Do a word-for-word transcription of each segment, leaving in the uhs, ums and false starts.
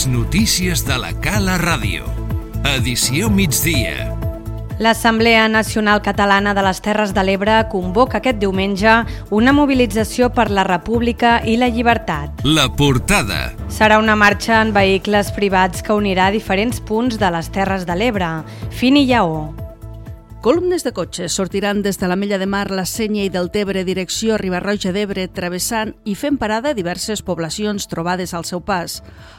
Les notícies de la Cala Ràdio. Edició migdia. L'Assemblea Nacional Catalana de les Terres de l'Ebre convoca aquest diumenge una mobilització per la República i la llibertat. La portada. Serà una marxa en vehicles privats que unirà diferents punts de les Terres de l'Ebre, fin i Lleó. Columnes de cotxes sortiran des de la Mella de Mar, la Sénia i del Tebre, direcció Riba-roja d'Ebre, travessant i fent parada diverses poblacions trobades al seu pas.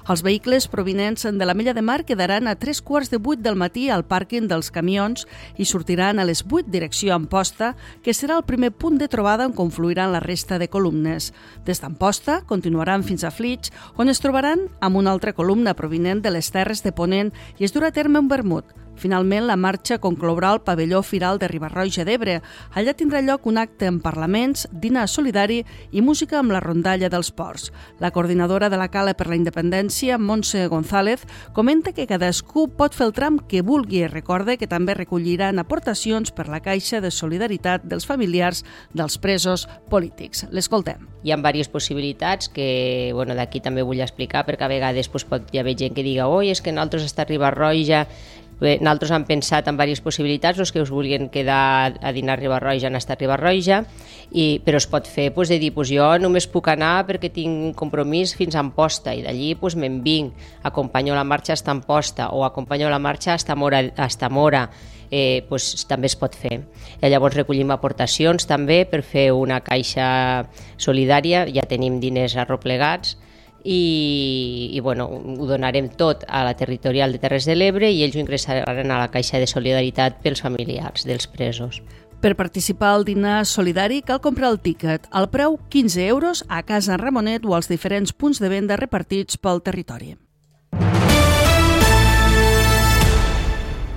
Els vehicles provinents de la Mella de Mar quedaran a tres quarts de vuit del matí al pàrquing dels camions i sortiran a les vuit direcció Amposta, que serà el primer punt de trobada on confluiran la resta de columnes. Des d'Amposta continuaran fins a Flix, on es trobaran amb una altra columna provinent de les Terres de Ponent i es durà a terme un vermut. Finalment, la marxa conclourà al pavelló Firal de Riba-roja d'Ebre. Allà tindrà lloc un acte en parlaments, dinar solidari i música amb la rondalla dels ports. La coordinadora de la Cala per la Independència, Montse González, comenta que cadascú pot fer el tram que vulgui i recorda que també recolliran aportacions per la Caixa de Solidaritat dels familiars dels presos polítics. L'escoltem. Hi ha diverses possibilitats que bueno, d'aquí també vull explicar, perquè a vegades doncs, pot hi haver gent que diga oi, és que nosaltres està a Riba-roja. Bé, nosaltres hem pensat en diverses possibilitats, els que us vulguin quedar a dinar a Riba-roja han estat a Riba-roja, i, però es pot fer doncs, de dir, doncs, jo només puc anar perquè tinc un compromís fins a Amposta i d'allí doncs, me'n vinc, acompanyo la marxa fins a Amposta o acompanyo la marxa fins a Mora, fins a Mora. Eh, doncs, també es pot fer. I llavors recollim aportacions també per fer una caixa solidària, ja tenim diners arroplegats, i, i bueno, ho donarem tot a la territorial de Terres de l'Ebre i ells ho ingressaran a la Caixa de Solidaritat pels familiars dels presos. Per participar al dinar solidari cal comprar el tíquet, al preu quinze euros a Casa Ramonet o als diferents punts de venda repartits pel territori.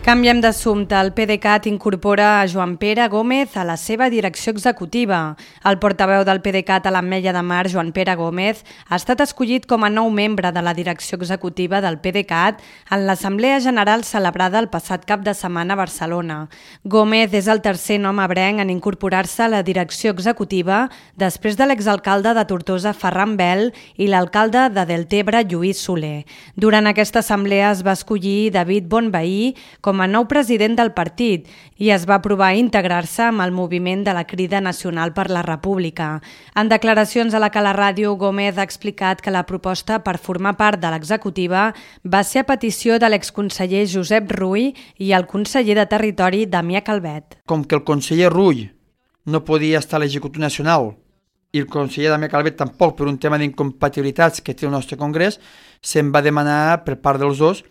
Canviem d'assumpte. El PDeCAT incorpora a Joan Pere Gómez a la seva direcció executiva. El portaveu del PDeCAT a l'Ametlla de Mar, Joan Pere Gómez, ha estat escollit com a nou membre de la direcció executiva del PDeCAT en l'Assemblea General celebrada el passat cap de setmana a Barcelona. Gómez és el tercer nom ebrenc en incorporar-se a la direcció executiva després de l'exalcalde de Tortosa, Ferran Bel, i l'alcalde de Deltebre, Lluís Soler. Durant aquesta assemblea es va escollir David Bonvehí com com a nou president del partit i es va aprovar integrar-se amb el moviment de la Crida Nacional per la República. En declaracions a la Cala Ràdio, Gómez ha explicat que la proposta per formar part de l'executiva va ser a petició de l'exconseller Josep Rull i el conseller de Territori, Damià Calvet. Com que el conseller Rull no podia estar a l'Executiu Nacional i el conseller Damià Calvet tampoc per un tema d'incompatibilitats que té el nostre congrés, se'm va demanar per part dels dos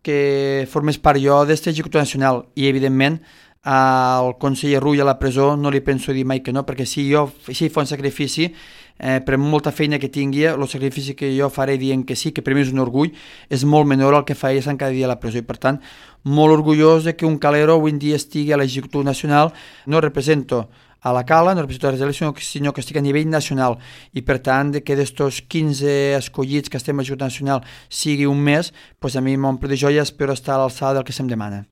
que formés part jo d'aquest Executiu Nacional i, evidentment, al conseller Rull a la presó no li penso dir mai que no, perquè si jo si fa un sacrifici, eh, per molta feina que tingui, el sacrifici que jo faré dient que sí, que per mi és un orgull, és molt menor al que fa ell cada dia a la presó i, per tant, molt orgullós de que un calero avui en dia estigui a l'Executiu Nacional. No represento a la Cala, no represento a les eleccions, sinó que estic a nivell nacional i per tant que d'estos quinze escollits que estem a l'Executiu Nacional sigui un mes, doncs a mi m'omple de joia, espero estar a l'alçada del que se'm demana.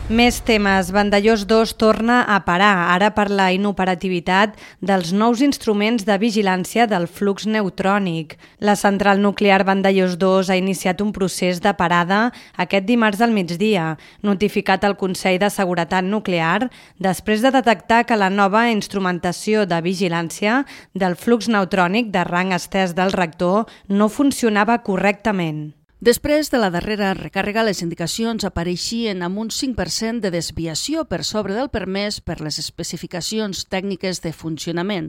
Més temes. Vandellós dos torna a parar, ara per la inoperativitat dels nous instruments de vigilància del flux neutrònic. La central nuclear Vandellós dos ha iniciat un procés de parada aquest dimarts al migdia, notificat al Consell de Seguretat Nuclear després de detectar que la nova instrumentació de vigilància del flux neutrònic de rang estès del reactor no funcionava correctament. Després de la darrera recàrrega, les indicacions apareixien amb un cinc per cent de desviació per sobre del permès per les especificacions tècniques de funcionament.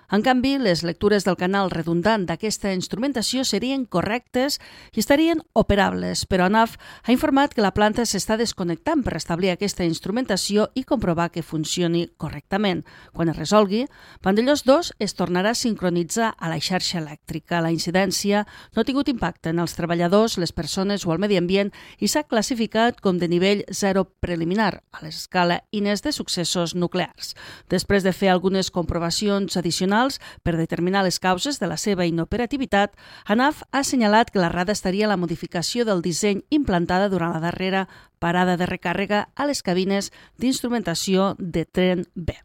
En canvi, les lectures del canal redundant d'aquesta instrumentació serien correctes i estarien operables, però ANAF ha informat que la planta s'està desconnectant per establir aquesta instrumentació i comprovar que funcioni correctament. Quan es resolgui, Vandellós dos es tornarà a sincronitzar a la xarxa elèctrica. La incidència no ha tingut impacte en els treballadors, les persones o el medi ambient i s'ha classificat com de nivell zero preliminar a l'escala Inés de successos nuclears. Després de fer algunes comprovacions addicionals per determinar les causes de la seva inoperativitat, ANAF ha assenyalat que l'errada estaria en la modificació del disseny implantada durant la darrera parada de recàrrega a les cabines d'instrumentació de tren B.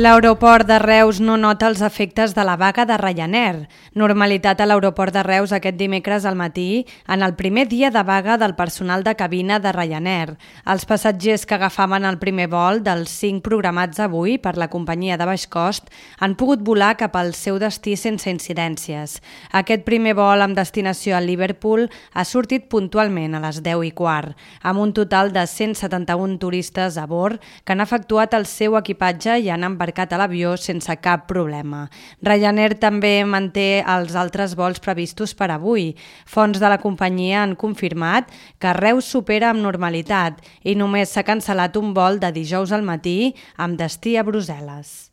L'aeroport de Reus no nota els efectes de la vaga de Ryanair. Normalitat a l'aeroport de Reus aquest dimecres al matí, en el primer dia de vaga del personal de cabina de Ryanair. Els passatgers que agafaven el primer vol dels cinc programats avui per la companyia de baix cost han pogut volar cap al seu destí sense incidències. Aquest primer vol amb destinació a Liverpool ha sortit puntualment a les deu i quart, amb un total de cent setanta-un turistes a bord que han efectuat el seu equipatge i han embarcat a l'avió sense cap problema. Ryanair també manté els altres vols previstos per avui. Fonts de la companyia han confirmat que Reus supera amb normalitat i només s'ha cancel·lat un vol de dijous al matí amb destí a Brussel·les.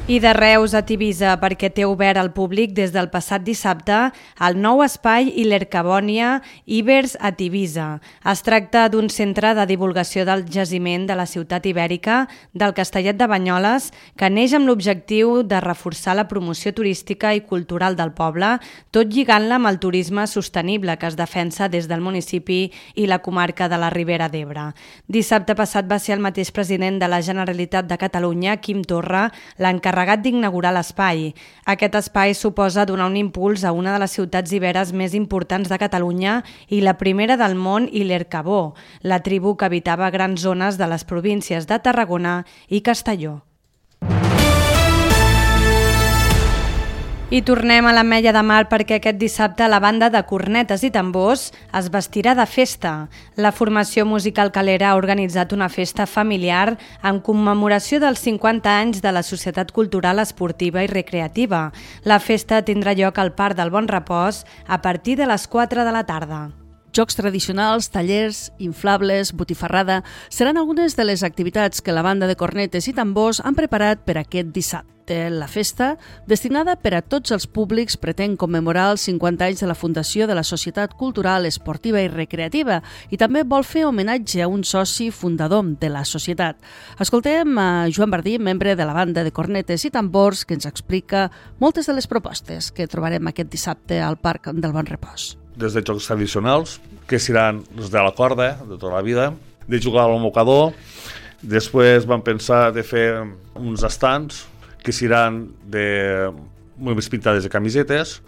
I de Reus a Tivisa, perquè té obert al públic des del passat dissabte el nou espai Ilercabònia Ibers a Tivisa. Es tracta d'un centre de divulgació del jaciment de la ciutat ibèrica del Castellet de Banyoles que neix amb l'objectiu de reforçar la promoció turística i cultural del poble, tot lligant-la amb el turisme sostenible que es defensa des del municipi i la comarca de la Ribera d'Ebre. Dissabte passat va ser el mateix president de la Generalitat de Catalunya, Quim Torra, l'encarregat encarregat d'inaugurar l'espai. Aquest espai suposa donar un impuls a una de les ciutats iberes més importants de Catalunya i la primera del món Ilercabó, la tribu que habitava grans zones de les províncies de Tarragona i Castelló. I tornem a l'Ametlla de Mar perquè aquest dissabte la banda de cornetes i tambors es vestirà de festa. La formació musical Calera ha organitzat una festa familiar en commemoració dels cinquanta anys de la Societat Cultural Esportiva i Recreativa. La festa tindrà lloc al Parc del Bon Repòs a partir de les quatre de la tarda. Jocs tradicionals, tallers, inflables, botifarrada seran algunes de les activitats que la banda de cornetes i tambors han preparat per aquest dissabte. La festa, destinada per a tots els públics, pretén commemorar els cinquanta anys de la fundació de la Societat Cultural Esportiva i Recreativa i també vol fer homenatge a un soci fundador de la societat. Escoltem a Joan Bardí, membre de la banda de cornetes i tambors, que ens explica moltes de les propostes que trobarem aquest dissabte al Parc del Bon Repòs. Des de jocs tradicionals, que seran els de la corda, de tota la vida, de jugar al mocador. Després vam pensar de fer uns estants que seran de més pintades de camisetes,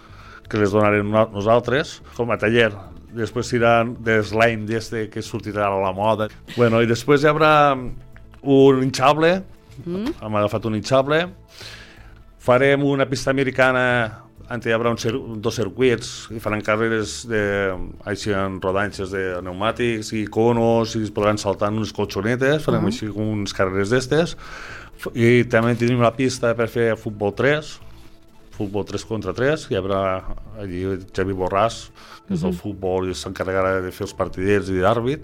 que les donarem nosaltres, com a taller. Després seran de slime d'este que sortirà a la moda. Bueno, i després hi haurà un hinchable, mm. hem agafat un hinchable, farem una pista americana on hi haurà un cir dos circuits i faran carreres de, així en rodanxes de pneumàtics i conos i es podran saltar en unes colxonetes, farem uh -huh. així com unes carreres d'estes i també tenim la pista per fer futbol tres, futbol tres contra tres, hi haurà allí Xavi Borràs, que és del uh -huh. futbol i s'encarregarà de fer els partiders i d'àrbit.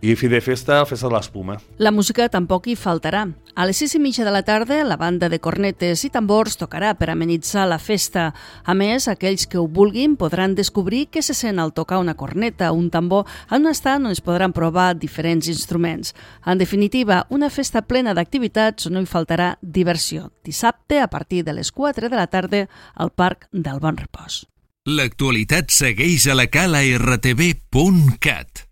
I fi de festa, festa de l'espuma. La música tampoc hi faltarà. A les sis i mitja de la tarda, la banda de cornetes i tambors tocarà per amenitzar la festa. A més, aquells que ho vulguin podran descobrir què se sent al tocar una corneta o un tambor en un estant on es podran provar diferents instruments. En definitiva, una festa plena d'activitats on no hi faltarà diversió. Dissabte, a partir de les quatre de la tarda, al Parc del Bon Repòs. L'actualitat segueix a la cala erre te ve punt cat.